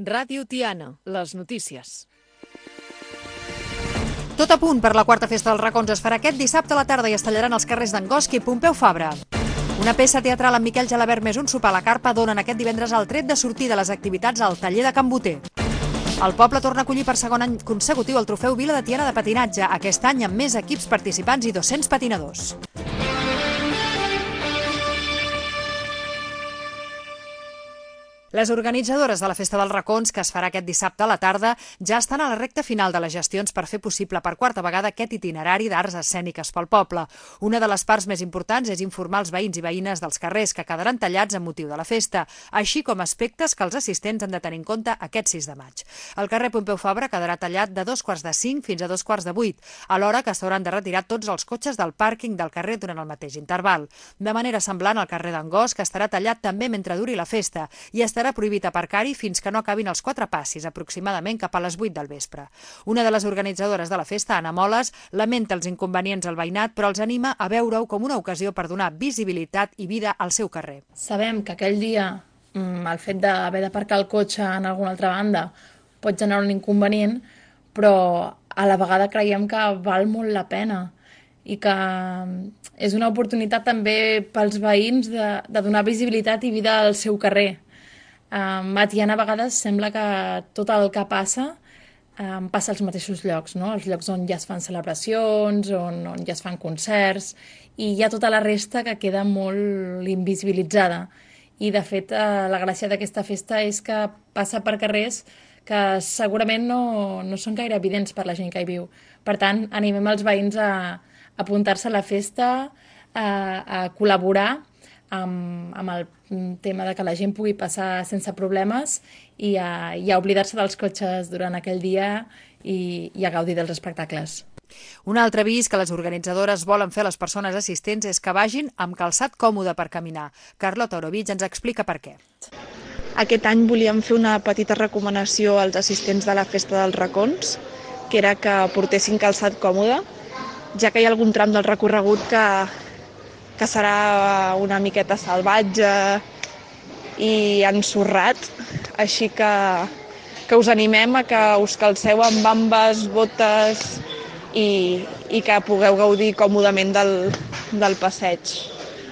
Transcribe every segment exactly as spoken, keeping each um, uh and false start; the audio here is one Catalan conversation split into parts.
Ràdio Tiana, les notícies. Tot a punt per la quarta festa dels racons es farà aquest dissabte a la tarda i es tallaran els carrers d'Angost i Pompeu Fabra. Una peça teatral amb Miquel Gelabert més un sopar a la carpa donen aquest divendres el tret de sortir de les activitats al taller de Can Boter. El poble torna a acollir per segon any consecutiu el trofeu Vila de Tiana de patinatge, aquest any amb més equips participants i dos-cents patinadors. Les organitzadores de la Festa dels Racons, que es farà aquest dissabte a la tarda, ja estan a la recta final de les gestions per fer possible per quarta vegada aquest itinerari d'arts escèniques pel poble. Una de les parts més importants és informar els veïns i veïnes dels carrers, que quedaran tallats amb motiu de la festa, així com aspectes que els assistents han de tenir en compte aquest sis de maig. El carrer Pompeu Fabra quedarà tallat de dos quarts de cinc fins a dos quarts de vuit, alhora que s'hauran de retirar tots els cotxes del pàrquing del carrer durant el mateix interval. De manera semblant al carrer d'Angost, que estarà tallat també mentre duri la festa, i estarà Estarà prohibit aparcar-hi fins que no acabin els quatre passis, aproximadament cap a les vuit del vespre. Una de les organitzadores de la festa, Anna Moles, lamenta els inconvenients al veïnat, però els anima a veure-ho com una ocasió per donar visibilitat i vida al seu carrer. Sabem que aquell dia el fet d'haver d'aparcar el cotxe en alguna altra banda pot generar un inconvenient, però a la vegada creiem que val molt la pena i que és una oportunitat també pels veïns de, de donar visibilitat i vida al seu carrer. Um, a Tiana a vegades sembla que tot el que passa um, passa als mateixos llocs, no? Els llocs on ja es fan celebracions, on, on ja es fan concerts, i hi ha tota la resta que queda molt invisibilitzada. I de fet uh, la gràcia d'aquesta festa és que passa per carrers que segurament no, no són gaire evidents per la gent que hi viu. Per tant, animem els veïns a, a apuntar-se a la festa, a, a col·laborar Amb, amb el tema de que la gent pugui passar sense problemes i a, i a oblidar-se dels cotxes durant aquell dia i, i a gaudir dels espectacles. Un altre avís que les organitzadores volen fer a les persones assistents és que vagin amb calçat còmode per caminar. Carlota Orovich ens explica per què. Aquest any volíem fer una petita recomanació als assistents de la Festa dels Racons, que era que portessin calçat còmode, ja que hi ha algun tram del recorregut que que serà una miqueta salvatge i ensorrat, així que, que us animem a que us calceu amb bambes, botes i, i que pugueu gaudir còmodament del, del passeig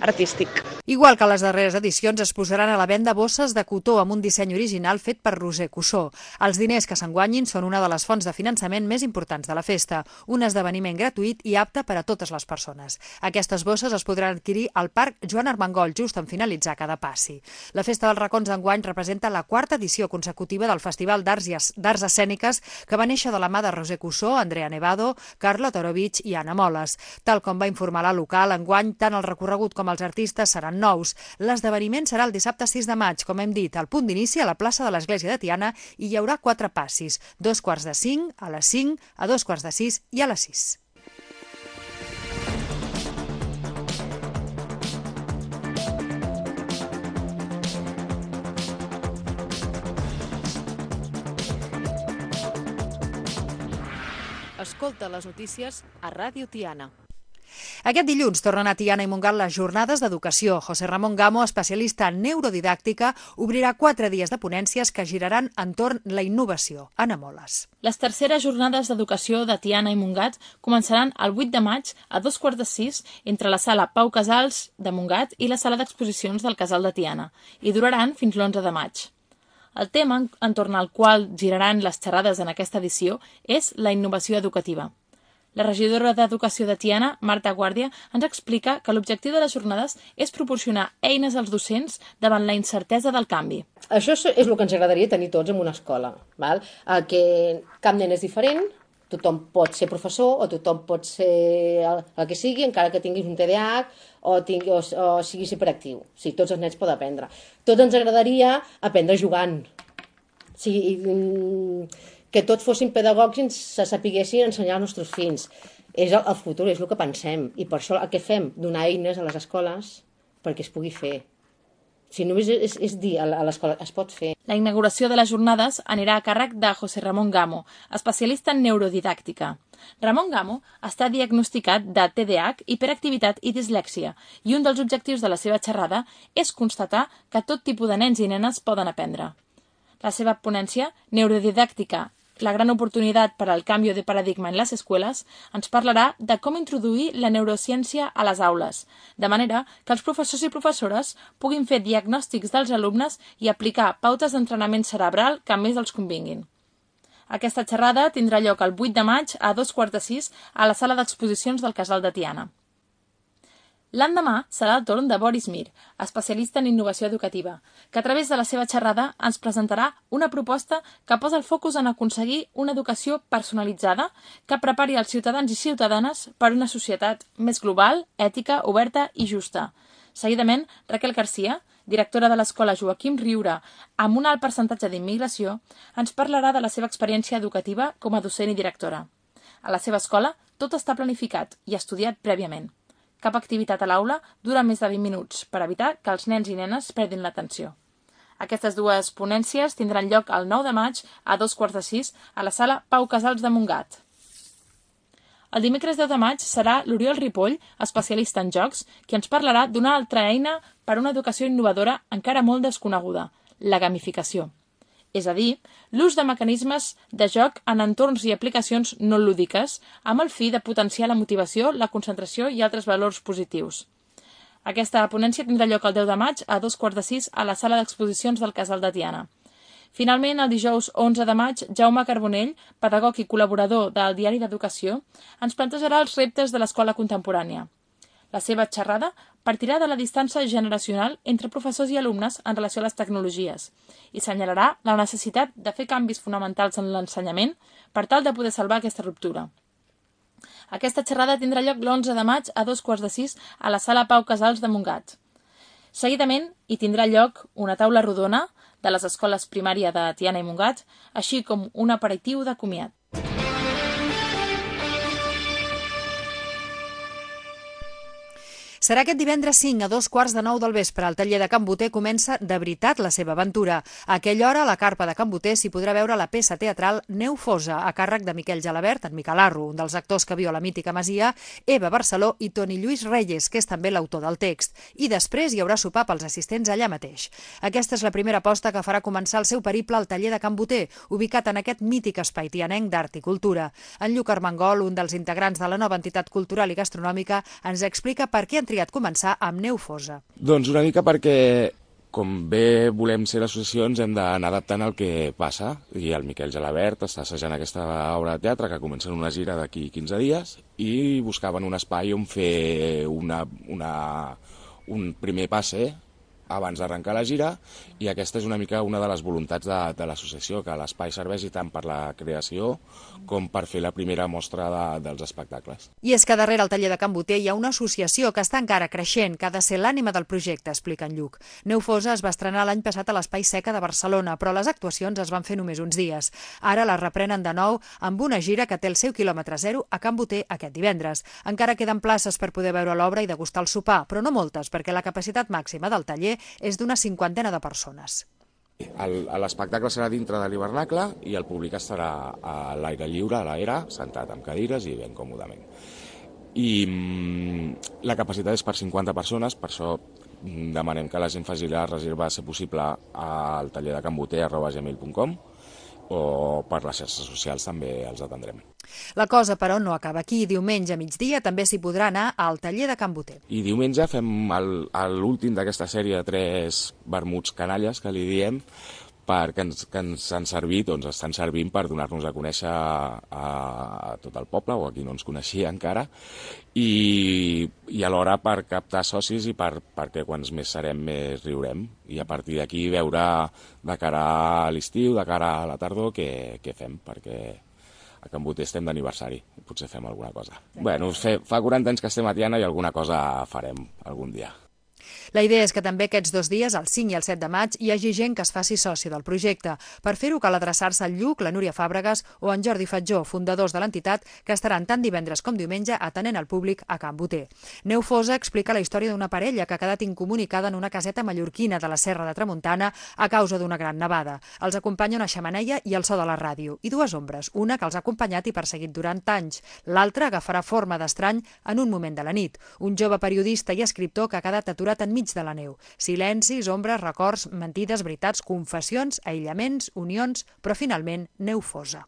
artístic. Igual que a les darreres edicions, es posaran a la venda bosses de cotó amb un disseny original fet per Roser Cussó. Els diners que s'enguanyin són una de les fonts de finançament més importants de la festa, un esdeveniment gratuït i apte per a totes les persones. Aquestes bosses es podran adquirir al Parc Joan Armengol just en finalitzar cada passi. La Festa dels Racons d'enguany representa la quarta edició consecutiva del Festival d'Arts Escèniques que va néixer de la mà de Roser Cussó, Andrea Nevado, Carlota Orovich i Anna Moles. Tal com va informar la local, enguany tant el recorregut com els artistes seran nous. L'esdeveniment serà el dissabte sis de maig, com hem dit, al punt d'inici a la plaça de l'Església de Tiana i hi haurà quatre passis, dos quarts de cinc, a les cinc, a dos quarts de sis i a les sis. Escolta les notícies a Ràdio Tiana. Aquest dilluns tornen a Tiana i Montgat les jornades d'educació. José Ramon Gamo, especialista en neurodidàctica, obrirà quatre dies de ponències que giraran entorn la innovació. Anna Moles. Les terceres jornades d'educació de Tiana i Montgat començaran el vuit de maig a dos quarts de sis entre la sala Pau Casals de Montgat i la sala d'exposicions del Casal de Tiana i duraran fins l'onze de maig. El tema entorn al qual giraran les xerrades en aquesta edició és la innovació educativa. La regidora d'Educació de Tiana, Marta Guàrdia, ens explica que l'objectiu de les jornades és proporcionar eines als docents davant la incertesa del canvi. Això és el que ens agradaria tenir tots en una escola, val? Que cap nen és diferent, tothom pot ser professor o tothom pot ser el, el que sigui, encara que tinguis un T D A H o, tingui, o, o siguis hiperactiu. O sigui, tots els nens poden aprendre. Tots ens agradaria aprendre jugant. O sigui, que tots fossin pedagogs i se sapiguessin ensenyar als nostres fills. És el, el futur, és el que pensem. I per això el que fem, donar eines a les escoles perquè es pugui fer. Si només és, és dir a l'escola, es pot fer. La inauguració de les jornades anirà a càrrec de José Ramon Gamo, especialista en neurodidàctica. Ramon Gamo està diagnosticat de T D A H, hiperactivitat i dislèxia, i un dels objectius de la seva xerrada és constatar que tot tipus de nens i nenes poden aprendre. La seva ponència, Neurodidàctica, la gran oportunitat per al canvi de paradigma en les escoles, ens parlarà de com introduir la neurociència a les aules, de manera que els professors i professores puguin fer diagnòstics dels alumnes i aplicar pautes d'entrenament cerebral que més els convinguin. Aquesta xerrada tindrà lloc el vuit de maig a dos quarts de sis a la sala d'exposicions del Casal de Tiana. L'endemà serà el torn de Boris Mir, especialista en innovació educativa, que a través de la seva xerrada ens presentarà una proposta que posa el focus en aconseguir una educació personalitzada que prepari els ciutadans i ciutadanes per una societat més global, ètica, oberta i justa. Seguidament, Raquel Garcia, directora de l'Escola Joaquim Riura, amb un alt percentatge d'immigració, ens parlarà de la seva experiència educativa com a docent i directora. A la seva escola, tot està planificat i estudiat prèviament. Cap activitat a l'aula dura més de vint minuts per evitar que els nens i nenes perdin l'atenció. Aquestes dues ponències tindran lloc el nou de maig a dos quarts de sis a la sala Pau Casals de Montgat. El dimecres deu de maig serà l'Oriol Ripoll, especialista en jocs, qui ens parlarà d'una altra eina per a una educació innovadora encara molt desconeguda, la gamificació. És a dir, l'ús de mecanismes de joc en entorns i aplicacions no lúdiques amb el fi de potenciar la motivació, la concentració i altres valors positius. Aquesta ponència tindrà lloc el deu de maig a dos quarts de sis a la sala d'exposicions del Casal de Tiana. Finalment, el dijous onze de maig, Jaume Carbonell, pedagog i col·laborador del Diari d'Educació, ens plantejarà els reptes de l'escola contemporània. La seva xerrada partirà de la distància generacional entre professors i alumnes en relació a les tecnologies i assenyalarà la necessitat de fer canvis fonamentals en l'ensenyament per tal de poder salvar aquesta ruptura. Aquesta xerrada tindrà lloc l'onze de maig a dos quarts de sis a la sala Pau Casals de Montgat. Seguidament, hi tindrà lloc una taula rodona de les escoles primària de Tiana i Montgat, així com un aperitiu de comiat. Serà aquest divendres cinc a dos quarts de nou del vespre. El taller de Can Boter comença de veritat la seva aventura. A aquella hora, a la carpa de Can Boter s'hi podrà veure la peça teatral Neu Fosa, a càrrec de Miquel Gelabert, en Miquel Arro, un dels actors que viu a la mítica masia, Eva Barceló i Toni Lluís Reyes, que és també l'autor del text. I després hi haurà sopar pels assistents allà mateix. Aquesta és la primera aposta que farà començar el seu periple al taller de Can Boter, ubicat en aquest mític espai tianenc d'art i cultura. En Lluc Armengol, un dels integrants de la nova entitat cultural i gastronòmica, ens explica per què han triat començar amb Neu Fosa. Doncs una mica perquè, com bé volem ser l'associació, ens hem d'anar adaptant al que passa. I el Miquel Gelabert està assajant aquesta obra de teatre que comença en una gira d'aquí quinze dies i buscaven un espai on fer una, una, un primer passe abans d'arrencar la gira, i aquesta és una mica una de les voluntats de, de l'associació, que l'espai serveixi tant per la creació com per fer la primera mostra de, dels espectacles. I és que darrere el taller de Can Boter hi ha una associació que està encara creixent, que ha de ser l'ànima del projecte, explica en Lluc. Neu Fosa es va estrenar l'any passat a l'Espai Seca de Barcelona, però les actuacions es van fer només uns dies. Ara les reprenen de nou amb una gira que té el seu quilòmetre zero a Can Boter aquest divendres. Encara queden places per poder veure l'obra i degustar el sopar, però no moltes, perquè la capacitat màxima del taller és d'una cinquantena de persones. L'espectacle serà dintre de l'hivernacle i el públic estarà a l'aire lliure, a l'era, sentat amb cadires i ben còmodament. I mm, la capacitat és per cinquanta persones, per això demanem que la gent faci la reserva, si possible, al taller de canboter arroba gmail punt com, o per les xarxes socials també els atendrem. La cosa, però, no acaba aquí. Diumenge a migdia també s'hi podrà anar al taller de Can Boter. I diumenge fem l'últim d'aquesta sèrie de tres vermuts canalles, que li diem, perquè ens, que ens han servit, doncs estan servint per donar-nos a conèixer a, a tot el poble, o a qui no ens coneixia encara, i, i alhora per captar socis i per, perquè quants més serem més riurem, i a partir d'aquí veure de cara a l'estiu, de cara a la tardor, què, què fem, perquè a Can Boter estem d'aniversari, potser fem alguna cosa. Bueno, fe, fa quaranta anys que estem a Tiana i alguna cosa farem algun dia. La idea és que també aquests dos dies, el cinc i el set de maig, hi hagi gent que es faci soci del projecte. Per fer-ho cal adreçar-se al Lluc, la Núria Fàbregas o en Jordi Fatjó, fundadors de l'entitat, que estaran tant divendres com diumenge atenent al públic a Can Boter. Neu Fosa explica la història d'una parella que ha quedat incomunicada en una caseta mallorquina de la Serra de Tramuntana a causa d'una gran nevada. Els acompanya una xemeneia i el so de la ràdio, i dues ombres, una que els ha acompanyat i perseguit durant anys, l'altra agafarà forma d'estrany en un moment de la nit. Un jove periodista i escriptor que ha quedat aturat aturat enmig de la neu. Silencis, ombres, records, mentides, veritats, confessions, aïllaments, unions, però finalment neu fosa.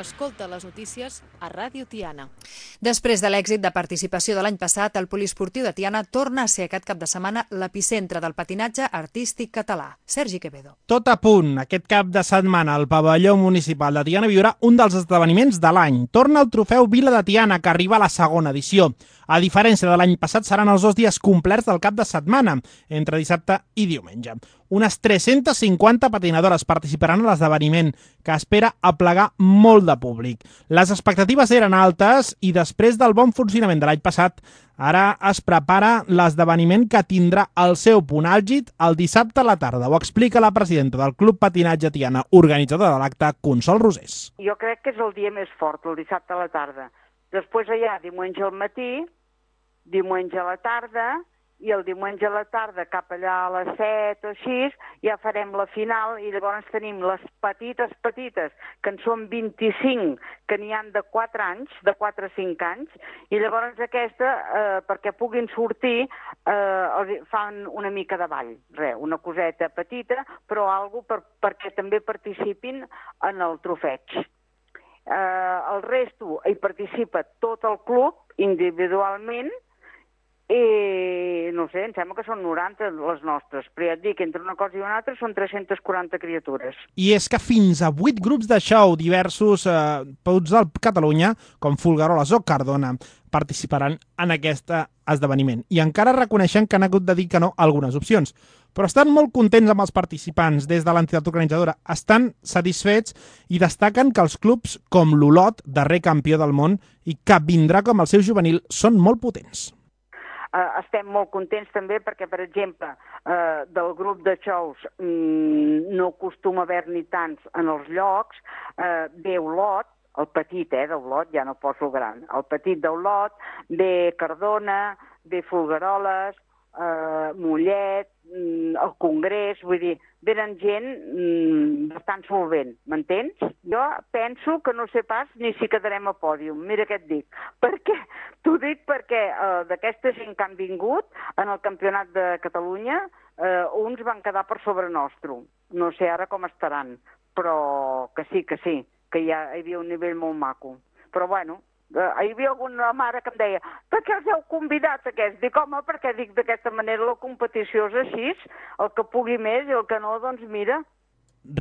Escolta les notícies a Ràdio Tiana. Després de l'èxit de participació de l'any passat, el poliesportiu de Tiana torna a ser aquest cap de setmana l'epicentre del patinatge artístic català. Sergi Quevedo. Tot a punt. Aquest cap de setmana el pavelló municipal de Tiana viurà un dels esdeveniments de l'any. Torna el trofeu Vila de Tiana, que arriba a la segona edició. A diferència de l'any passat, seran els dos dies complerts del cap de setmana, entre dissabte i diumenge. Unes tres-centes cinquanta patinadores participaran a l'esdeveniment, que espera aplegar molt de públic. Les expectatives eren altes i després del bon funcionament de l'any passat, ara es prepara l'esdeveniment que tindrà el seu punt àlgid el dissabte a la tarda. Ho explica la presidenta del Club Patinatge Tiana, organitzadora de l'acte, Consol Rosés. Jo crec que és el dia més fort, el dissabte a la tarda. Després allà, diumenge al matí, diumenge a la tarda, i el diumenge a la tarda, cap allà a les set o així, ja farem la final i llavors tenim les petites, petites, que en són vint-i-cinc, que n'hi han de quatre anys, de quatre a cinc anys, i llavors aquesta, eh, perquè puguin sortir, eh, fan una mica de ball, res, una coseta petita, però algo per, perquè també participin en el trofeig. Eh, el resto hi participa tot el club, individualment, i no sé, em sembla que són noranta les nostres, però ja et dic, entre una cosa i una altra són tres-centes quaranta criatures. I és que fins a vuit grups de show diversos eh, tots de Catalunya, com Folgueroles o Cardona, participaran en aquest esdeveniment. I encara reconeixen que han hagut de dir que no a algunes opcions. Però estan molt contents amb els participants des de l'entitat organitzadora. Estan satisfets i destaquen que els clubs com l'Olot, darrer campió del món, i que vindrà com el seu juvenil, són molt potents. Uh, estem molt contents també perquè, per exemple, uh, del grup de shows mm, no acostuma a haver-n'hi tants en els llocs, uh, ve Olot, el petit, eh, d'Olot, ja no poso gran, el petit d'Olot, ve Cardona, ve Folgueroles, uh, Mollet, mm, el Congrés, vull dir, venen gent mm, bastant solvent, m'entens? Jo penso que no sé pas ni si quedarem a pòdium, mira què et dic. Per què? T'ho dic perquè eh, d'aquesta gent que han vingut en el Campionat de Catalunya, eh, uns van quedar per sobre nostre. No sé ara com estaran, però que sí, que sí, que ja hi havia un nivell molt maco. Però bueno, eh, hi havia alguna mare que em deia per què els heu convidat aquests? Dic, home, perquè dic d'aquesta manera la competició és així, el que pugui més i el que no, doncs mira.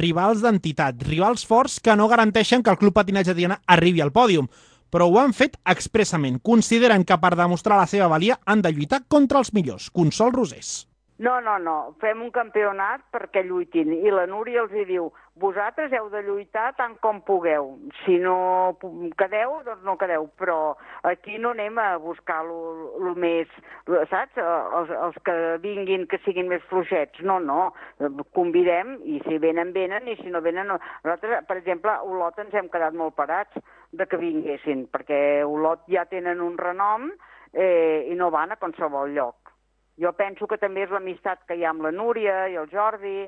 Rivals d'entitat, rivals forts que no garanteixen que el Club Patinatge Tiana arribi al pòdium, però ho han fet expressament. Consideren que per demostrar la seva valia han de lluitar contra els millors. Consol Rosés. No, no, no, fem un campionat perquè lluitin. I la Núria els hi diu, vosaltres heu de lluitar tant com pugueu. Si no quedeu, doncs no quedeu. Però aquí no anem a buscar el més, saps? Els, els que vinguin, que siguin més fluixets. No, no, convidem i si venen, venen, i si no venen, no. Nosaltres, per exemple, a Olot ens hem quedat molt parats de que vinguessin, perquè Olot ja tenen un renom eh, i no van a qualsevol lloc. Jo penso que també és l'amistat que hi ha amb la Núria i el Jordi.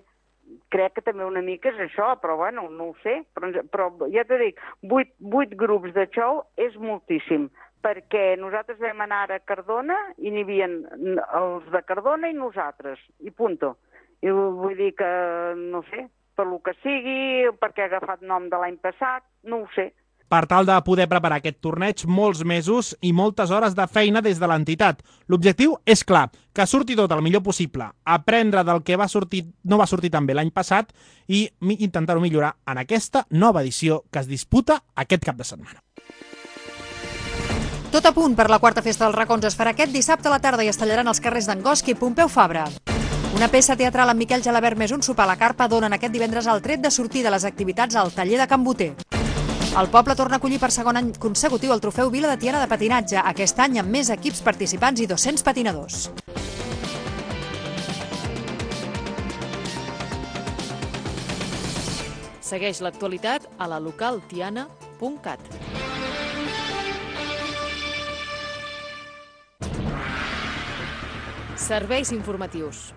Crec que també una mica és això, però bueno, no ho sé. Però, però ja t'ho dic, vuit, vuit grups de show és moltíssim, perquè nosaltres vam anar a Cardona i n'hi havia els de Cardona i nosaltres, i punto. I vull dir que, no sé, per lo que sigui, perquè ha agafat nom de l'any passat, no ho sé. Per tal de poder preparar aquest torneig, molts mesos i moltes hores de feina des de l'entitat. L'objectiu és clar, que surti tot el millor possible, aprendre del que va sortir, no va sortir tan bé l'any passat i intentar-ho millorar en aquesta nova edició que es disputa aquest cap de setmana. Tot a punt per la quarta festa dels racons es farà aquest dissabte a la tarda i es tallaran els carrers d'Angosch i Pompeu Fabra. Una peça teatral amb Miquel Gelabert més un sopar a la carpa donen aquest divendres el tret de sortir de les activitats al taller de Can Boter. El poble torna a acollir per segon any consecutiu el trofeu Vila de Tiana de patinatge, aquest any amb més equips participants i dos-cents patinadors. Segueix l'actualitat a la local tiana punt cat. Serveis informatius.